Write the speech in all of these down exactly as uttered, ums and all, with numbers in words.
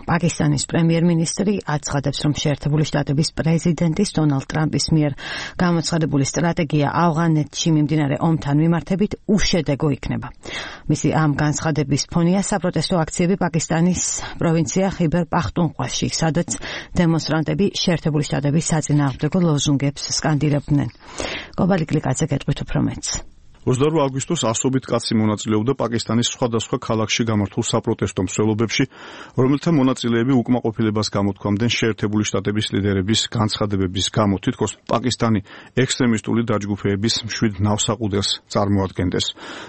პაკისტანის პრემიერ-მინისტრი აცხადებს, რომ შეერთებული შტატების პრეზიდენტის დონალდ ტრამპის მიერ გამოცხადებული სტრატეგია ავღანეთში მიმდინარე ომთან მიმართებით უშედეგო იქნება. მისი ამ განცხადების ფონია საპროტესტო აქციები პაკისტანის პროვინცია ხიბერ პახტუნხვაში, სადაც დემონსტრანტები შეერთებული შტატების საწინააღმდეგო ლოზუნგებს სკანდირებდნენ. კობალი კლიკაძე გეტყვით უფრო მეტს. ოცდაორი აგვისტოს ასობით კაცი მონაწილეობდა პაკისტანის სხვადასხვა ქალაქში გამართულ საპროტესტო მსვლელობებში, რომელთა მონაწილეები უკმაყოფილებას გამოთქვამდნენ შეერთებული შტატების ლიდერების განცხადებების გამო, თითქოს პაკისტანი ექსტრემისტული დაჯგუფეების მშვიდ ნავსაყუდელს წარმოადგენდეს.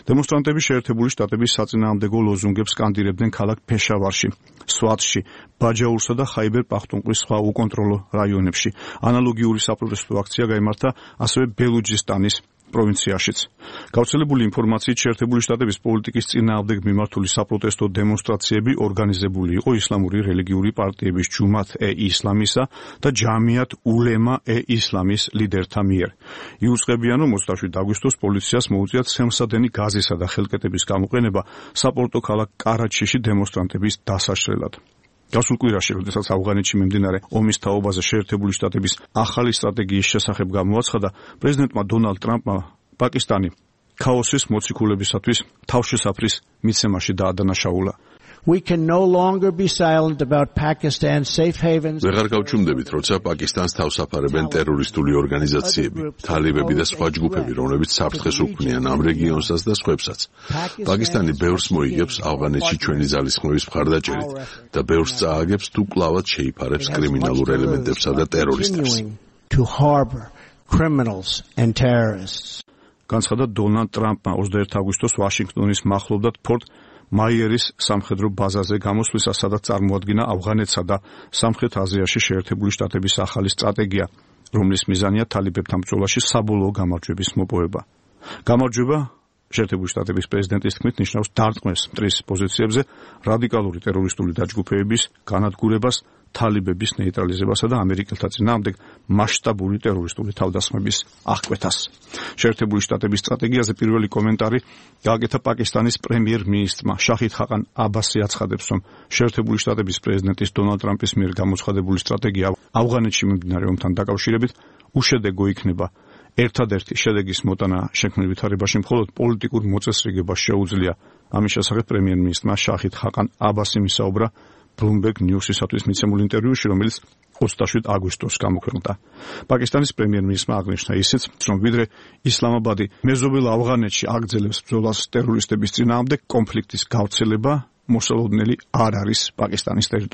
დემონსტრანტები შეერთებული შტატების საწინააღმდეგო ლოზუნგებს სკანდირებდნენ ქალაქ ფეშავარში, სვატში, ბაჯაურსა და ხაიბერ პახტუნხვის სხვა უკონტროლო რაიონებში. ანალოგიური საპროტესტო აქცია გაიმართა ასევე ბელუჯისტანის პროვინციაშიც. გავრცელებული ინფორმაციით შეერთებული შტატების პოლიტიკის წინააღმდეგ მიმართული საპროტესტო დემონსტრაციები ორგანიზებული იყო ისლამური რელიგიური პარტიების ჯუმათ-ე-ისლამისა და ჯამიათ ულემა-ე-ისლამის ლიდერთა მიერ. იუწყებიან, რომ ოცდაშვიდ აგვისტოს პოლიციას მოუწია ცემსადენი გაზისა და ხელკეტების გამოყენება საპორტო ქალაქ კარაჩიში დემონსტრანტების დასაშლელად. გასულ კვირაში, როდესაც ავღანეთში მიმდინარე ომის თაობაზე შეერთებული შტატების ახალი სტრატეგიის შესახებ გამოაცხადა, პრეზიდენტმა დონალდ ტრამპმა პაკისტანი ქაოსის მოციქულებისათვის თავშესაფრის მიცემაში დაადანაშაულა. We can no longer be silent about Pakistan's safe havens. ვეღარ გავჩუმდებით, როცა პაკისტანს თავსაფარებენ ტერორისტული ორგანიზაციები, თალიბები და სხვა ჯგუფები, რომლებიც საფრთხეს უქმნიან ამ რეგიონსაც და სხვებსაც. პაკისტანი ბევრს მოიგებს ავღანეთში ჩვენი ძალისხმევის მხარდაჭერით და ბევრს წააგებს თუ კლავად შეიფარებს კრიმინალურ ელემენტებსა და ტერორისტებს. To harbor criminals and terrorists. განცხადა დონალდ ტრამპმა ოცდაერთი აგვისტოს ვაშინგტონის მახლობლად ფორტ მაიერის სამხედრო ბაზაზე გამოსვლისას, სადაც წარმოადგინა ავღანეთსა და სამხრეთ აზიაში შეერთებული შტატების ახალი სტრატეგია, რომლის მიზანია თალიბებთან ბრძოლაში საბოლოო გამარჯვების მოპოვება. გამარჯვება შეერთებული შტატების პრეზიდენტის თქმით ნიშნავს დარტყმეს მტრის პოზიციებზე, რადიკალური ტერორისტული დაჯგუფეების განადგურებას, თალიბების ნეიტრალიზებასა და ამერიკელთა წინააღმდეგ მასშტაბური ტერორისტული თავდასხმების აღკვეთას. შეერთებული შტატების სტრატეგიაზე პირველი კომენტარი გააკეთა პაკისტანის პრემიერ-მინისტრმა შაჰიდ ხაყან აბასი აცხადებს, რომ შეერთებული შტატების პრეზიდენტის დონალდ ტრამპის მიერ გამოცხადებული სტრატეგია ავღანეთში მიმდინარე ომთან დაკავშირებით უშედეგო იქნება. ერთადერთი შედეგის მოტანა შექმნილ ვითარებაში მხოლოდ პოლიტიკურ მოწესრიგებას შეუძლია. ამის შესახებ პრემიერ-მინისტრმა შაჰიდ ხაყან აბასი მისაუბრა Bloomberg News-ისათვის მიცემულ ინტერვიუში, რომელიც ოცდაშვიდ აგვისტოს გამოქვეყნდა. პაკისტანის პრემიერ-მინისტრმა აღნიშნა ისიც, რომ ვიდრე ისლამაბადი მეზობელ ავღანეთში აგრძელებს ბრძოლას ტერორისტების წინააღმდეგ, კონფლიქტის გავრცელება მოსალოდნელი არ არის პაკისტანის ტერიტორიაზე.